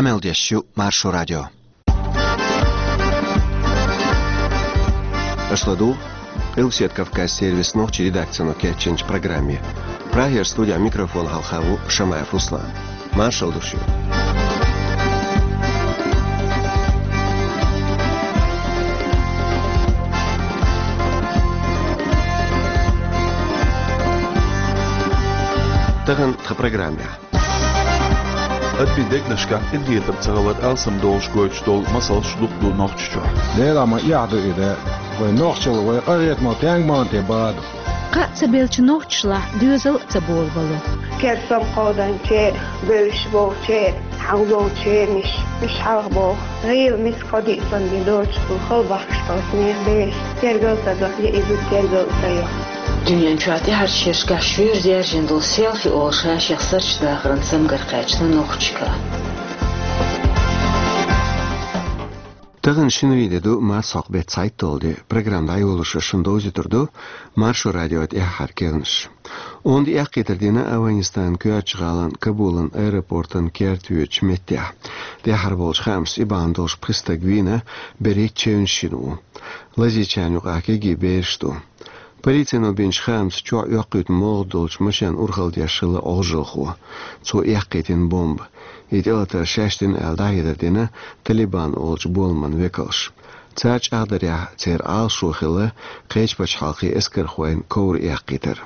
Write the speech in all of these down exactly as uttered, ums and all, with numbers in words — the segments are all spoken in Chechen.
Къамел деш ю Маршо радио. Аша ладугӀу Къилбаседа Кавказ сервисан нохчийн редакцино кечйинчу программе. Прагера студехь микрофон хьалха ву Шамаев Руслан. Маршалла ду шуьга. Тахана тхан программехь. Адамийн дегнашкахь къинхетам ца хилар алсам долуш гойтуш долу масалш дукха ду Нохчийчохь. Делахь ма эхь ду и де. Вай нохчалла, вай къахетамо тенга ма те баду. Кхаъ ца беллачу нохчашлахь доьзал а ца болабало. Керсам кховданчеран, бевзаш болчеран, хьалдолчеран, миш, миш хьалха боху. ГӀийла миска кхо-диъ санна доцуш ду, хала бахкаш долчу нехан бераш. Тергал ца до, я и зуда тергал ца йо. Дуьнен чохь тӀаьхьарчу шерашкахь шуьйра даьржина долу селфи олу ша-шех сарчу дахаран цамгар кхаьчна нохчашка. Тахана шинарин де ду, марсхьокху беттан цхьайтталгӀа де. Программа дӀайолош шуна довзуьйтур ду Маршо радион тӀаьххьара керланаш. Онда эккхийтар дина Афганистанан коьртачу гӀалин Кабулан аэропортан керта воьдучу меттехь. ТӀаьххьара болчу хаамашца, и бахьана долуш пхи стаг вийна, берхӀитта чевнаш йина ву. Лазийчарна юкъахь кегий бераш ду. Полицино бинчу хаамца, чохь оьккхуьйту молха долчу машен урхалла деш хилла Ӏожалхо. Цо эккхийтина бомба. И тӀелатар шаьш дина аьлла, дӀахьедар дина Талибан олучу боламан векалша. Цара чӀагӀдарехь, церан Ӏалашо хилла кхечу пачхьалкхийн эскархойн ковра эккхийтар.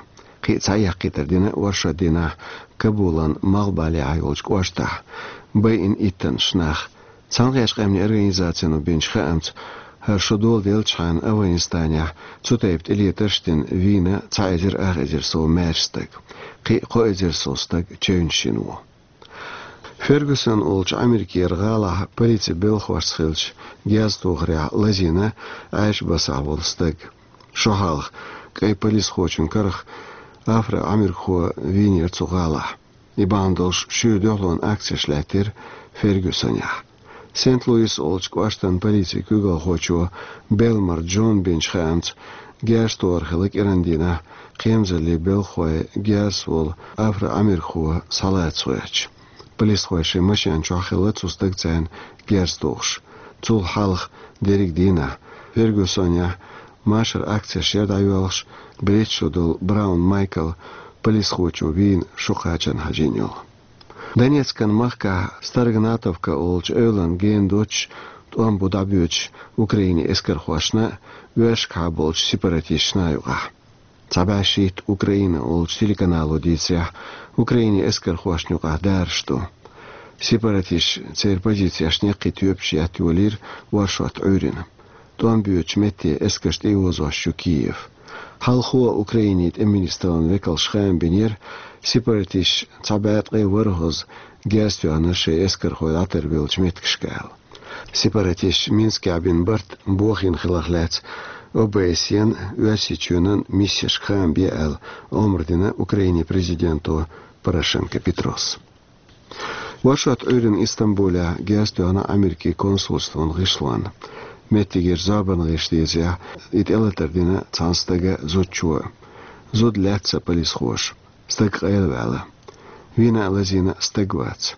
Кхин а цхьа эккхийтар дина оршот дийнахь Кабулан малхбалехьа йолчу кӀоштахь. Байина иттаннаш нах. Цхьаьнакхеттачу къаьмнийн организацино бинчу хаамца, хӀара шо доладеллачхьана Афганистанехь цу тайпа тӀелетарш а дина, вийна цхьа эзар ах эзар сов маьрша стаг. Кхин а кхо эзар сов стаг чевнаш йина ву. Фергюсон олучу Ӏамеркера гӀалахь полицин белхалошца хиллачу герзатохарехь лазийна Ӏаьржа басахь волу стаг. Шо хьалха кӀайн полисхочун карах афро-Ӏамеркахо вийнера цу гӀалахь. И бахьана долуш шуьйра дуьхьалонан акцеш лаьттира Фергюсонехь. Сент-Луис олучу кӀоштан полицин куьйгалхочо Белмар Джона бинчу хаамца, герзатохар хилла кӀиран дийнахь кхерамзаллин белхахой герзаца волу афро-Ӏамеркахо схьалаца гӀоьртича. Полисхой шайн машен чохь хилла цу стагца цхьаьна герз тухуш. Цул хьалха дерриг дийнахь Фергюсонехь машаран акцеш яра дӀайоьлхуш, берхӀитта шо долу Браун Майкл полисхочо вийна, шо кхачарна хьажийна йолу. Донецкан махкахь Старогнатовка олучу эвлана гена доцуш тӀом бу дӀабоьдуш Украинин эскархошна а, оьшкахьа болчу сепаратисташна а юкъахь. Цхьа бӀе шийтта Украина олучу телеканало дийцарехь, Украинин эскархошна юкъахь дараш ду. Сепаратисташа церан позицешна яккхий тоьпаш етта йолийра оршот Ӏуьйрина. ТӀом боьдучу метте эскарш тӀеозош ю Киев. Хьалхо Украинин тӀеман министраллин векалша хаам бинера, сепаратисташа цхьа бӀе ткъе ворхӀазза герз тоьхна шайн эскархой дӀатарбеллачу меттигашка аьлла. Сепаратисташа Минскехь бина барт бохийна хиларх лаьцна О Б С Е-н, Оьрсийчоьнан миссешка хаам бе аьлла, омра дина Украинин президенто Порошенко Петрос. Оршот Ӏуьйрина Истамбулехь герз тоьхна Америкин консульствон гӀишлонна. Меттигера зорбанан гӀирсаша дийцарехь, и тӀелатар дина цхьана стага, зудчо. Зуда лаьцна полисхоша. Стаг къайлаваьлла. Вийна а, лазийна а стаг вац.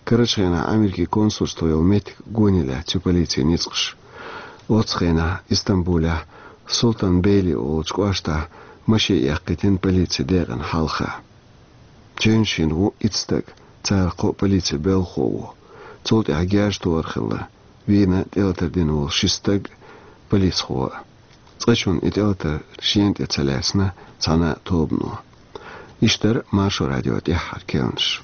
Карарчу хенахь Америкин консульство йолу меттиг гоне лаьцна ю полицин ницкъаша. Оццу хенахь Истамбулехь Султан Бейли олучу кӀоштахь машен эккхийтина полицин декъана хьалха. Чевнаш йина ву итт стаг, царах кхоъ полицин белхахо ву. Цул тӀаьхьа герз тохар хилла, вийна тӀелатар дина волу ши стаг, полисхо а. Цкъачунна и тӀелатар шена тӀе ца лаьцна цхьана а тобано. Иштта дара Маршо радион тӀаьххьара керланаш.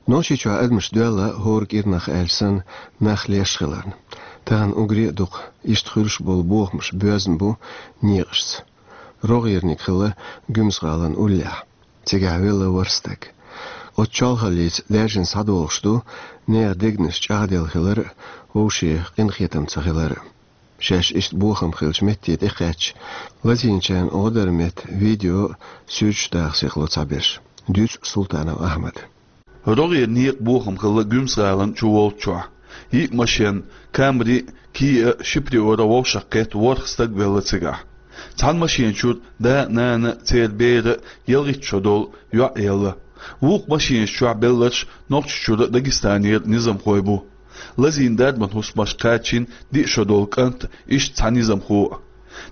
Нохчийчохь адамаш доьлла хӀора кӀирнах аьлча санна нах леш хиларна. Тахана уггаре а дукха иштта хуьлуш болу бохамаш боьзна бу некъашца. РогӀерниг хилла Гуьмсан-ГӀалан уллехь. Цигахь велла ворхӀ стаг. Оцу чолхаллица даьржина схьадолуш ду нехан дегнаш чӀагӀделла хилар а, вовшийн къинхетам ца хилар а. Шаьш иштта бохам хиллачу метте тӀекхаьчча, лазийначарна гӀо даран метта видео а, суьрташ а даха сихло цхьаберш. Дуьйцу Султанов Ахьмада. РогӀера некъан бохам хилла Гуьмсан-ГӀалана чуволччохь. Йиъ машен, Камри а, Киа а, ши Приора вовшахкхетта ворхӀ стаг велла цигахь. Цхьана машена чура да а, нана а, церан бер а, ялхитта шо долу йоӀ а елла. Вукху машенаш чохь белларш Нохчийчуьра а, Дагестанера а низамхой бу. Лазийна дарбан хӀусамашка кхаьчна диъ шо долу кӀант а, иштта цхьа низамхо а.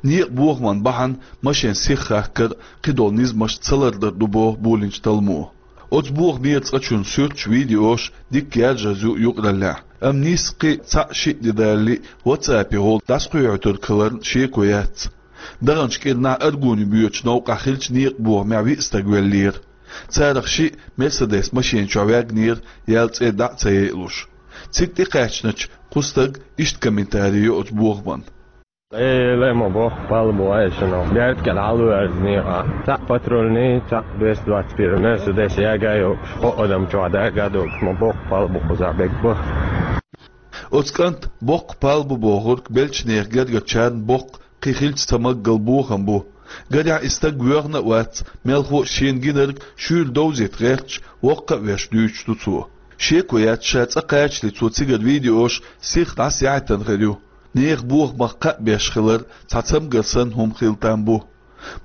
Некъан бохаман бахьана машен сиха хахкар а, кхидолу низамаш ца лардар ду боху болийначу талламо. Оцу бохамера цкъачунна суьрташ, видеош дика яржаза ю юкъараллехь, амма нийсса кхин а цхьаъ-шиъ де далале а, WhatsApp-ехула дӀасакхоьхьуьйтург хиларна шеко яц. Даханчу кӀирнахь Аргуне боьдучу новкъахь хиллачу некъан бохамехь виъ стаг веллера. Царах шиъ Мерседес машен чохь ваьгнера, яьлла цӀе дӀа а ца яйалуш. Цига тӀекхаьчначу кху стага иштта комментарий йо оцу бохаман. Эле ма боккха палба бу айшана. Берда кӀел хьалаверза некъа. Цхьаъ патрульный, цхьаъ двести двадцать первый Мерседес яга йогуш, кхо адам чохь дага а догуш, ма боккха палба бу кхузахь бегба. Оцу кӀант боккха палба бу бохург беллачу нехан гергарчарна боккха кхин хилча ца маггал бохам бу. Гарехь, и стаг воьхна а вац, мелхо а шена гинарг шуьйра довзийта гӀерташ, воккха а веш дуьйцуш ду цо. Шеко яц, ша цӀа кхачале цо цигара видеош сиха дӀасаяхьийтина хир ю. Нехан бохамах кхаъ беш хилар цхьа цамгар санна хӀума хила там бу.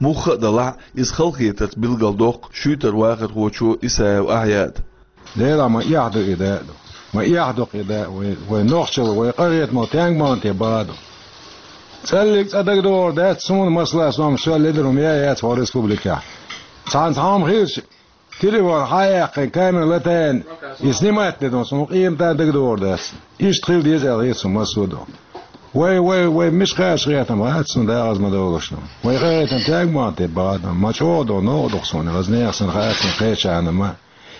Мухха а далахь, иза халахетарца билгалдоккху шуьйтара вахархочо Исаев Ахьяда. Делахь, ма эхь ду и да а ду. Ма эхь ду-кх и да а, вай, вай нохчалла, вай къахетамалла, тенг ма-м те баха ду. ЦӀаллиг цӀа дагадогӀур дац суна, масала, со-м шел ледара хӀума яц хӀокху республикехь. Цхьана цхьа хӀума хилча, телефон хьа а яьккхина, камера латаяьлла, и снимать де ду, суна къематан дагадогӀур дац. Иштта хила деза аьлла хета суна массо а ду. Вай, вай, вай мича кхача гӀертам хаьа суна, дагӀаза ма довлуш ду. Вай къахетам тенг ма-м те баха ду, ма чӀогӀа ду, новкъа ду-кх суна, хаза нехан санна хаьа суна кхечарна ма.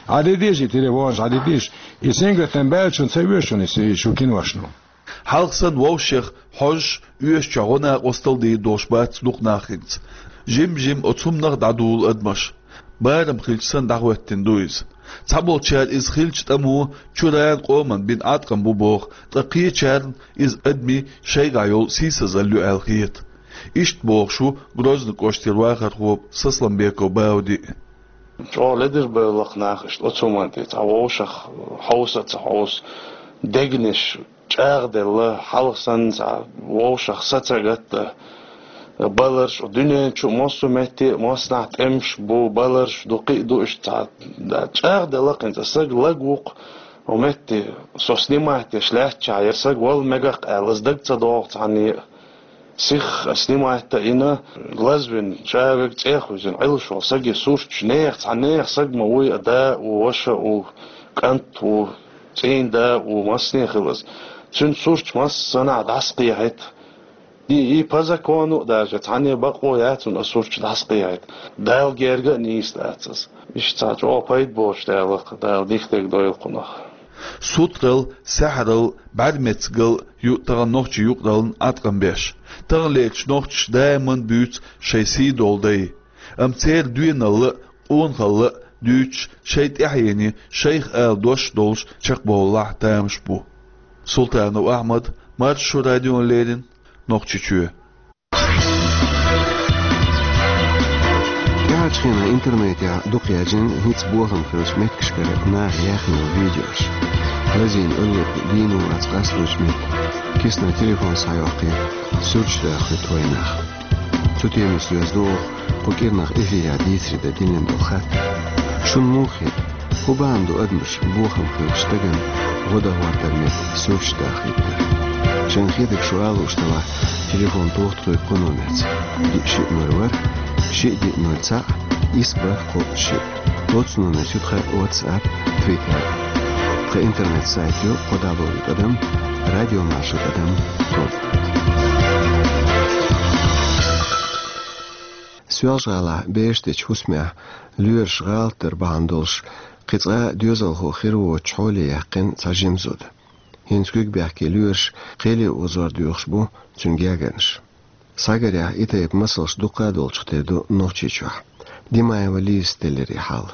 Хьан де деза и телефонаш, хьан де деза? И сингаттам баьллачунна ца оьшу шуна и шу киношна? Хьалха санна вовшех хьожуш, оьшучохь гӀо-накъосталла дийр долуш бац дукха нах хӀинца. Жим-жим оцу хӀуманах дӀадула адамаш. Барам хилча санна дӀахӀоьттина ду иза. Цхьаболчара иза хилча тӀамо чуьран, къоман бина Ӏаткъам бу боху, ткъа кхечарна иза адамийн шайгахь йолу сийсазалла ю аьлла хета. Иштта бохуш ву Грозный кӀоштара вахархо Сасламбеков Бауди. ЧӀогӀа ледара бевлла-кх нах иштта оцу хӀуманна тӀе, цхьа вовшах хьовса а ца хьовса, дегнаш чӀагӀделла, хьалха санна цхьа вовшах са ца гатта, баларш, дуьнен чу массо а метте а, массанхьа тӀемаш бу, баларш ду, кхин а ду, иштта цхьа, да, чӀагӀделла-кх хӀинца, саг лаг ву-кх, хӀокху метте со снимать деш лаьттачохь, я саг вала мегар-кх аьлла, аса дага ца догӀу цхьанне а. Сиха снимать а йина, лазвина, чӀагӀаг цӀе а хуьзина, Ӏилуш волу саги сурташ, нехан, цхьа нехан саг ма вуй, а да а ву, ваша а ву, кӀант а ву, цӀийнда а ву, массане а хила аса. Цуьнан сурташ массанхьа дӀасакхехьийта. И, и по закону а даже, цхьанне бакъо яц цунна а сурташ дӀасакхехьийта. Дала герга а нийса дац аса. Иштта цхьа чӀогӀа пайда боцуш даьлла-кх, Дала дика дерг дойла кхунах. Сутралла, саьхьаралла, бӀаьрмецгалла ю тахана нохчийн юкъараллин Ӏаткъам беш. Таханлерчу нохчаша даиман буьйцу шайн сий долу дай. Амма церан доьналла а, къонахалла а дуьйцуш, шайн тӀаьхьене шайх ала дош а долуш чекхбовлалахь тамаш бу. Султанов Ахьмад, Маршо радиона леррина, Нохчийчоь. ТӀаьхьарчу хенахь интернетехь дукха яьржина хӀинца бохам хиллачу меттигашкара наха яьхна йолу видеош. Лазийна алларг дийна вац къасточу метте, киснан телефон схьайоккхий, суьрташ дахийта вайнах. Цу темица доьзна ду оха кху кӀирнах эфирехь дийцаре дан диллина долу хаттар. Шуна муха хета? ХӀун бахьана ду адамаш бохам хиллачу стагана гӀо дан хӀоттар метта суьрташ дахийтар? Шайна хетарг шу ала лууш делахь, телефон тоха тхоьга кху номерца: диъ шиъ ноль ворхӀ, шиъ диъ ноль цхьаъ, исс бархӀ кхоъ шиъ. Оцу номерца ю тхан WhatsApp, Twitter. Тхан интернет-сайт ю кхо дабл ю тӀадам радиомаршо тӀадам ком. Соьлжа-ГӀалахь бераш дечу хӀусамехь лоьраша гӀалатдар бахьана долуш, кхин цкъа доьзалхо хир воцучу хьоле яьккхина цхьа жима зуда. ХӀинца куьг бехке лоьраша кхеле озор доьхуш бу цуьнан гергарнаш. Схьагарехь, и тайпа масалш дукха а долчух тера ду Нохчийчохь. Димаева Лизас теллира и хьал.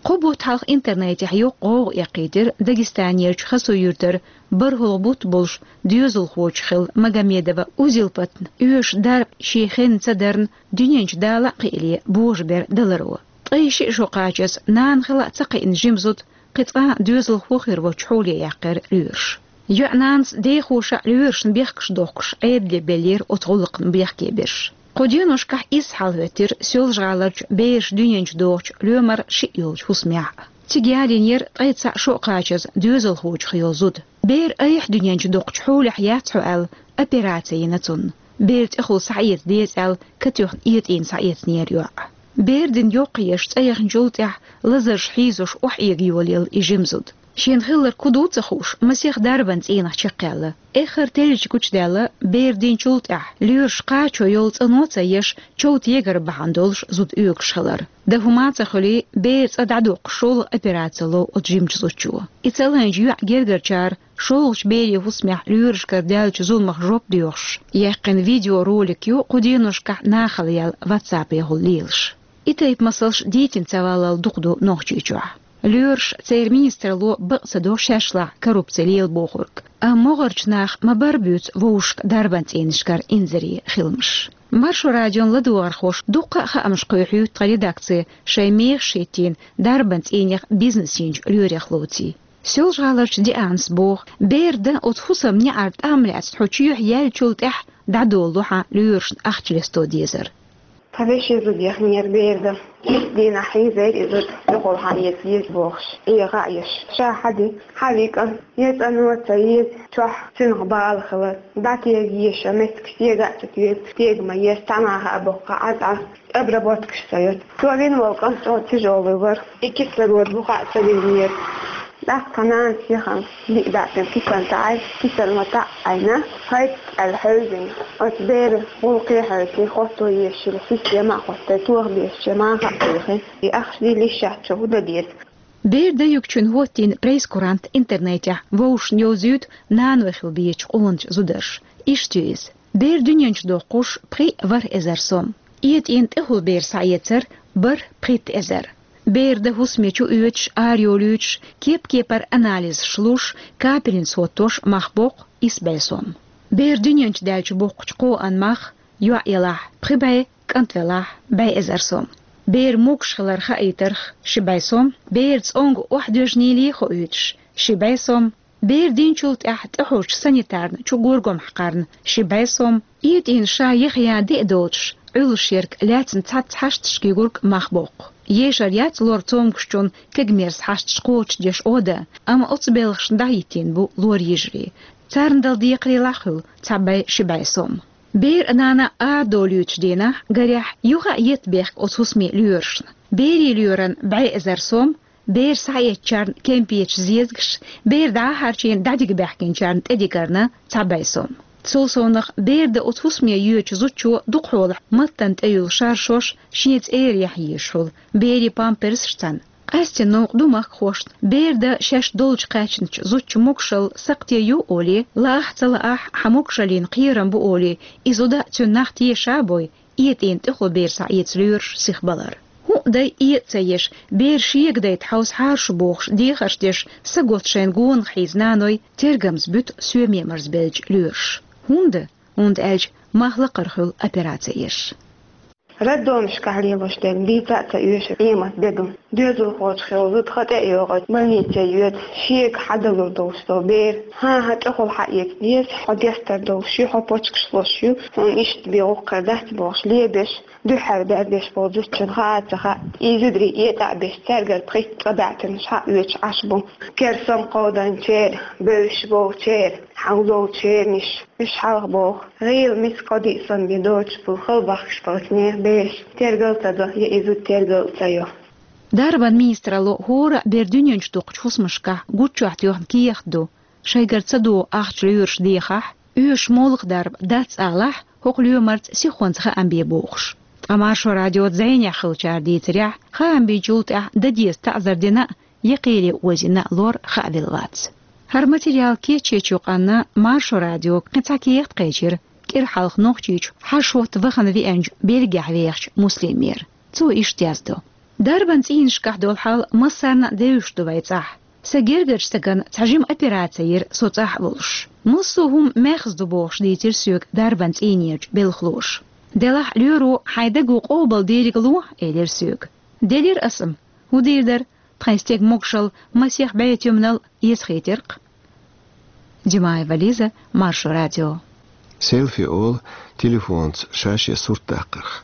Кхо бутт хьалха интернетехь йоккха гӀовгӀа эккхийтира Дагестанерчу Хасавюртара бархӀалгӀа бутт болуш доьзалхочун хилла Магомедова Узилпатна оьшуш дарба шен хенна ца дарна, дуьнен чу дала а кхиале божабер даларо. Ткъе шиъ шо кхачаза нана хила а ца кхиъна жима зуда кхин цкъа а доьзалхо хир воцучу хьоле яьккхира лоьраша. ЙоӀ-нанас дехоша а лоьрашна бехкаш дохкуш Ӏедале беллера оцу гӀуллакхна бехке берш. Кху деношкахь иза хьалахӀоьттира Соьлжа-ГӀаларчу бераш дуьнен чу дохучу лоьмар шиъ йолчу хӀусамехь. Цига ялийнера ткъе цхьаъ шо кхачаза доьзалхочух йолу зуда. Бер айхьа дуьнен чу доккхучу хьолехь яц хьо аьлла, операци йина цунна. Бер тӀехула схьаэца деза аьлла, катоьхна этӀийна схьаэцнера йоӀ. Бер дина йоккха еш цӀа яхначул тӀаьхьа лазарш хьийзош охьаэга йолаелла и жима зуда. Шена хилларг хӀун ду ца хууш, масех дарбан цӀийнах чекхъяьлла. Эххар теллича гучудаьлла, бер динчул тӀаьхьа лоьраш кхачо йолу цӀано а ца еш, чов тегар бахьана долуш зуда оьгуш хилар. Дан хӀума а ца хуьлий, бер цӀа дӀадоккхуш шолгӀа операци ло оцу жимачу зудчо. И ца лайначу йоьӀан гергарчара шолгӀачу берийн хӀусамехь лоьрашкара даьллачу зуламах жоп доьхуш яьккхина видеоролик ю кху деношкахь нахала яьлла WhatsApp-ехула лелаш. И тайпа масалш дийцина ца валлал дукха ду Нохчийчохь. Лоьраш, церан министралло бакъ ца до шаьшлахь коррупци лела бохург. Амма могӀарчу наха ма-барра буьйцу вовшашка дарбан цӀийнашкара инзаре хиламаш. Маршо радион ладогӀархоша дуккха а хаамаш кхойкхуьйту тхан редакци шайн мехаш хӀиттийна дарбан цӀийнех бизнес йинчу лоьрех лоций. Соьлжа-ГӀаларчу Дианас боху, бер дан оцу хӀусаман неӀарна тӀам лаьцна хьо чоьхьа яьллачул тӀаьхьа дӀадолало хьан лоьрашна ахча лесто дезар. Тхан вешин зуда яхнера бер дан. Итт дийнахь хьийзийра и зуда, дукъал хьан эца еза бохуш, эгӀа а еш. Ша хьан ди, хьан вика, я цӀано а ца еза, чохь цуьнах бала хилар. ДӀатега еза, меттиг стега а ца тоьга, стега ма еза, цхьа наха а боккха Ӏа цӀа. Обработкаш ца йоцу. Цо вина волу кӀант чӀогӀа тяжёлый вара. И кислород буха а ца винера. ТӀаккха нанас яхана, диъ даьӀна кисан таӀай, кисан ма таӀ Ӏайна, хӀайт аьлла хьевзина. Оцу беран гӀуллакхе а хьоьций, хӀотто езаш йолу система а хӀоттий, тоха безачу маха а кхехи. И ахча дилла йиш яц, чу хӀун дан деза? Бер дан юьгучун хӀоттийна прейскурант интернетехь вовшашна йовзуьйту наной хила безачу къоначу зударша. Иштта ю иза. Бер дуьнен чу доккхуш пхи а ворхӀ эзар сом. ЭтӀийна тӀехула бер схьаэцар бархӀ пхийтта эзар. Бер дан хӀусаме чу оьцуш, арайолуьйтуш, кеп-кепара анализаш луш, капельница хӀоттош мах боккху исс бӀе сом. Бер дуьнен чу даьлча боккхучу кхоан мах, йоӀ елахь пхи бӀе, кӀант велахь бӀе эзар сом. Бер могуш хилар хаийтарх ши бӀе сом, бер цӀонга охьадоьжнийла хоуьйтуш ши бӀе сом, бер динчул тӀаьхьа тӀехьожучу санитарна чу горгом хьакхарна ши бӀе сом, этӀийна ша яха ян де а доцуш, Ӏуьллуш ерг лаьцна цхьацца хьашташка югург мах боккху. Ешар яц лор цомгушчун кегамерса хьашташ кхочушдеш Ӏода, амма оцу белхашна дӀахӀиттийна бу лор йижарий. Царна дала декхарийлахь хуьлу цхьа бӀе ши бӀе сом. Бер а нана а арадолуьйтуш дийнахь, гарехь, юха а етта бехк оцу хӀусаме лоьрашна. Берийн лоьран бӀе эзар сом, бер схьаэцначарна кемпеташ, зезагаш, бер дӀа а хьарчийна дӀадига баьхкинчарна тӀедигарна цхьа бӀе сом. Цул совнах бер дан оцу хӀусаме йоьдучу зудчо дукхахьолахь маттана тӀеюьллу шаршош шен цӀера яхьа езаш хуьлу, берийн памперсаш цхьаьна. Къаьстина новкъа ду махкахошна, бер дан шаьш долчу кхаьчначу зудчун могушалла сакхте ю олий, лаахь а ца лаахь а хьан могушаллина кхерам бу олий, и зуда а цуьнан нах теша а бой, этӀийна тӀехула бер схьаэца лоьраш сихбалар. ХӀуъа дай, этӀа ца еш, бер шега дайта хьовса хьаша бохуш дехарш деш, са готта шайна гонах хьийза наной тергамза буьту соьме марзбеллачу лоьраша. ХӀунда? ХӀунда аьлча мах лакхара хуьлу операци еш. Роддомашкахь лелош дерг дийца а ца оьшу къемат деган. Доьзалхочух йолу зуда хан тӀе а йогӀуьйту, больнице йоьду, шега хьадалур долуш долу бер. ХӀан-хӀа, тӀехула хьаэца деза, хьо дестар долуш ю, хьо почкаш луш ю, хьуна иштта бен гӀуллакх дац бохуш лебеш, дуьххьара бер деш болу зудчун хаа а ца хаьа, и зударий этӀа а беш, цаьргара пхийтта цӀа баьӀтинаш хьаоьцуш Ӏаш бу. Кер сом кховданчеран, бевзаш болчеран, хьалзолчеран иш. Уьш хьалха боху, гӀийла миска кхо-диъ сом бен доцуш болу хала бахкаш болчу нехан бераш тергал а ца до, я и зуда тергал а ца йо. Дарбан министралло хӀора а бер дуьнен чу доккхучу хӀусамашкахь гуччохь тоьхна кехат ду, шайгара ца догӀу ахча лоьраш дехахь, оьшуш молха дарба дац алахь, хӀокху лоьмарца сихонца хаам бе бохуш. Ткъа Маршо радиоца зӀенехь хиллачара дийцарехь, хаам бинчул тӀаьхьа дан деза таӀзар дина а, я кхеле озийна а лор хаавелла вац. ХӀара материал кечйечу юкъанна Маршо радиога кхин цхьа кехат кхечира, кӀира хьалха Нохчийчу хьаша хӀотта вахана веанчу Бельгехь вехачу Муслимера. Цо иштта яздо: «Дарбан цӀийнашкахь долу хьал массарна а девзаш ду вайн цӀахь. Сан гергарчу стагана цхьа жима операци йира со цӀахь а волуш. Массо а хӀума маьхза ду бохуш дийцира соьга дарбан цӀийнерчу белхалоша. Делахь лоьро хьайн даго къобал дийриг ло, элира соьга. Делира аса-м. ХӀун дийр дара, тхайн стеган могушалла масех бӀе туьманал эцахийтира-кх». Димаева Лиза, Маршо радио. Селфи олу телефонца ша-шен сурт даккхарх.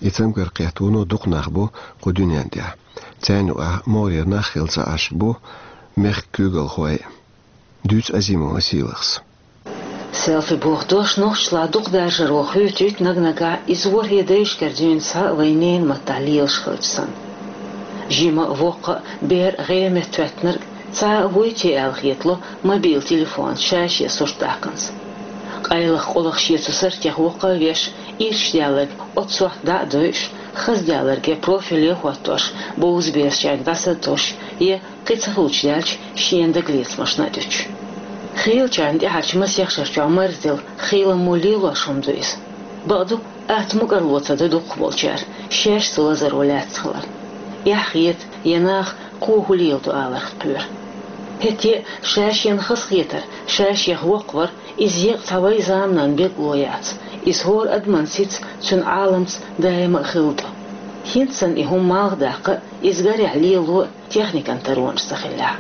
И цамгар кхетта вуно дукха нах бу кху дуьнен тӀехь. Царна юкъахь могӀарера нах хилла ца Ӏаш бу мехкан куьйгалхой. Дуьйцу Азимова Сийлахьас. Селфи боху дош нохчашлахь дукха даржаро хуьйцуьйту, наг-нагахь иза ворхӀе дайшкара дуьйна схьа вайн ненан маттахь лелаш хилча санна. Жима а, воккха а, бер а, гӀеметтахӀоьттинарг а, цхьа а вуй те аьлла хетало мобил телефонца ша-шен сурт даккханца. Къайлаха къулах шен цу суртех воккха а веш, ирча даьлларг оццу сохьта дӀа а дойуш, хаза даьлларг я профиле а хӀоттош, бовза берашчаьрга дӀаса а тосуш, я кхин ца хилча даьлча, шена дагалецамашна а дуьтуш. Хийлачарна тӀаьхьарчу масех шарчохь марздина хийла мо лелош хӀума ду иза. Бакъду, атта мукӀарло ца до дукхахболчара, шаьш цу лазаро лаьцна хилар. Эхь хета, я наха кхо хӀун леладо аларх кхоьру. ХӀетте а ша-шена хазахетар, ша-шех воккхавар, иза еккъа цхьа вай заманан билгало яц, иза хӀора адаман сица, цуьнан Ӏаламца даима а хилла ду. ХӀинца санна и хӀума малх даккха а, иза гарехь лело а техникан таронаш ца хиллехь.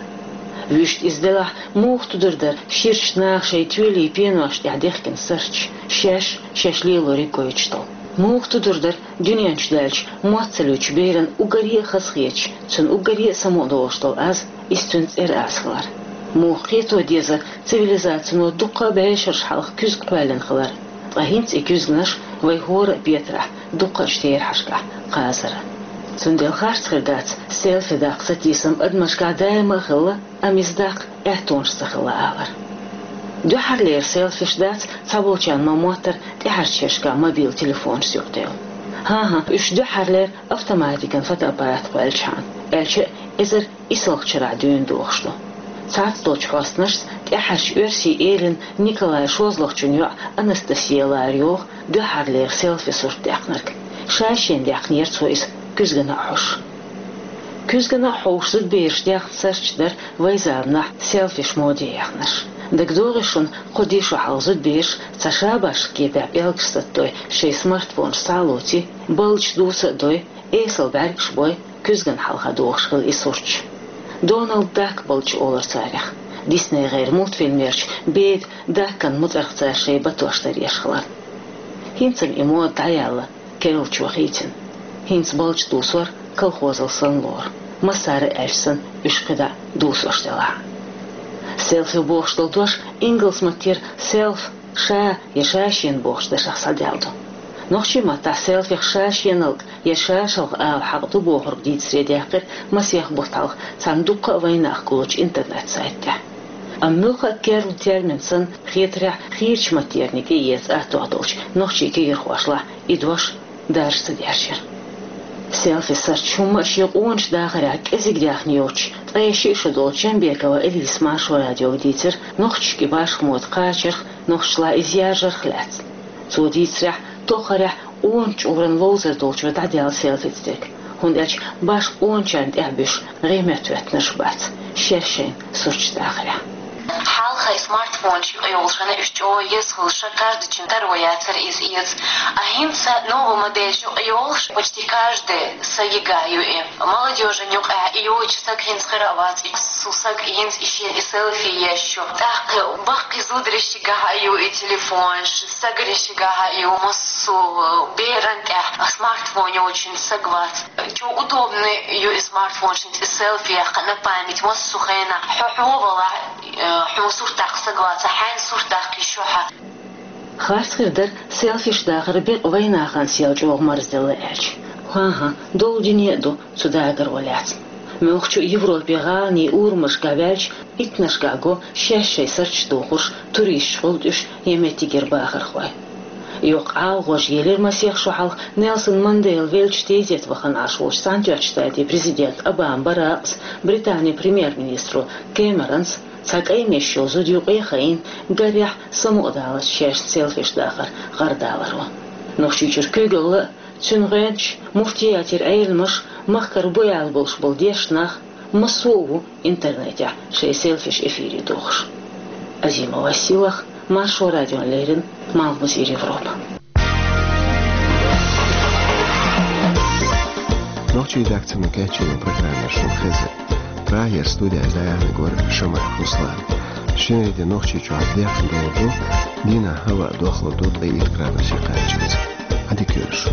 Вуьшта иза делахь, муха тудур дара ширачу наха шайн тоьлий пеношна тӀехь дехкина сурташ, шаьш, шаьш лелориг гойтуш долу? Муха тудур дара дуьнен чу даьлча, мотт ца луьйчу беран уггаре а хазахеташ, цуьнан уггаре а самукъадолуш долу аз, иза цуьнан цӀера аз хилар? Муха кхето дезара цивилизацино дуккха а бӀешераш хьалха куьзга кхоьллина хилар, ткъа хӀинца и куьзганаш вай хӀора а петарехь, дуккха а терахьашкахь кхазар? Цундела харц хир дац селфи даккха сатийсам адамашкахь даима а хилла, амма иза даккха аьттонаш ца хилла алар. Дуьххьарлера селфиш дац цхьаболчарна ма-моттара тӀаьхьарчу шерашкахь мобил телефонашца юкъадевлла. ХӀан-хӀа, уьш дуьххьарлера автоматикан фотоаппарат кхоьллинчхьана, аьлча а, эзар исалгӀачу шарахь дуьйна дохуш ду. Цхьацца долчу хьостанашца тӀаьххьарчу оьрсийн элина Николай шозлагӀчун йоӀ Анастасия лара йогӀу дуьххьарлера селфи сурт даьккхинарг. Ша-шена даьккхинера цо иза куьзгана а хьовсуш. Куьзгана а хьовсуш зудабераш даьккхина сурташ дара вайн заманахь селфиш моде яьхнарш. ДагадогӀий шуна, кхо-де шо хьалха зудабераш цхьа шабашка кепехь пӀелгаш саттой, шайн смартфонаш схьа а лоций, балдаш дуса а дой, эсала бӀаьргаш бой, куьзгана хьалха дохуш хилла и сурташ. Дональд Дак балдаш олура царех. ДиснейгӀеран мультфильмерчу беда Дакан муцӀарх цара шайн батош тара еш хиларна. ХӀинца-м и мода дӀаяьлла, керлачо хийцина. ХӀинца балдаш дусор колхозал санна лору, массара а аьлча санна, уьш кхидӀа дусош делахь. Селфи бохуш долу дош ингалс маттера self, ша я ша-шена бохучу дашах схьадаьлла ду. Нохчийн маттахь селфих ша-шеналг я ша-шалх ала хьакъ ду бохург дийцаре даьккхира масех бутт хьалха цхьана дуккха а вайнах гуллучу интернет-сайта тӀехь. Амма муьлхха а керла термин санна хетарехь, хийрачу маттерна тӀеэца аттох долчу нохчийн кегийрхошлахь и дош даржа ца дерзира. Селфи сурташ хӀумма а шен къоначу дахарехь кӀезиг даьхна йоцуш, ткъе шиъ шо долчу Джамбекова Элиса Маршо радиога дийцира нохчашка и башха мода кхачарх, нохчашлахь иза яржарх лаьцна. Цо дийцарехь, тоххарехь къоначу чкъуран ловзар долчо дӀадаьлла селфица дерг, хӀунда аьлча башха къоначарна тӀехь буьсуш гӀеметтахӀоьттинарш бац шаьш шайн сурташ дахарехь. Хьалха и смартфонаш юкъа йолуш хилла, уьш чӀогӀа еза хилла, ша каждыйчун таро яцара иза эца. А хӀинца новый модель юкъа йолуш, почти каждый са йигна ю и. Молодёжан юкъахь и йоцуш саг хӀинца хир а вац, и цу сага хӀинца и шен и селфи еш ю. ТӀаккха баккхий зударшкахь а ю и телефонаш, сагаршкахь а ю, массо а беран тӀехь смартфон йолчун саг вац. Чу удобный ю и смартфон, шен и селфи яхка на память, массо а хенахь хьо хьо валахь, э, хьуна сурт даккха саг вац, хьайн сурт даккха йиш ю хьан. Харц хир дара селфиш дахар бекъа вайнахана сел чӀогӀа марзделла аьлча. ХӀан-хӀа, долу дуьне а ду цу дагаро лаьцна. Муьлххачу Европе гӀаланийн урамашкахь ваьлча, иттаннашкахь го шаьш шайн сурташ дохуш туристаш гӀултӀуьш я меттигера бахархой. Йоккха ГӀалагӀожа елира масех шо хьалха Нелсон Мандела веллачу тезета вахана Ӏаш волчу Цхьаьнатоьхначу Штатийн президента Обама Баракъас, Британин премьер-министро Кэмеронс, цхьа кӀайн-мешан йолу зуда юкъе а хайна, гарехь самукъадаллалц шаьшна селфиш дахар гӀардаларо. Нохчийчуьра куьйгалла а, цуьнан гӀоьнчаш, муфтиятера Ӏеламаш, махкара бу аьлла болуш болу дешна нах, массо а ву интернетехь шайн селфиш эфире дохуш. Азимова Сийлахь, Маршо радиона леррина, Малхбузера Европа. Нохчийн редакцино кечйина программа шуна хезира. Прагера студехь дӀаяьхьнарг вара Шамаев Руслан. Шинарин де Нохчийчохь бехк долуш ду, дийнахь хӀаваъ дохлур ду ткъе итт градусе кхаччалц. Ӏадика йойла шу.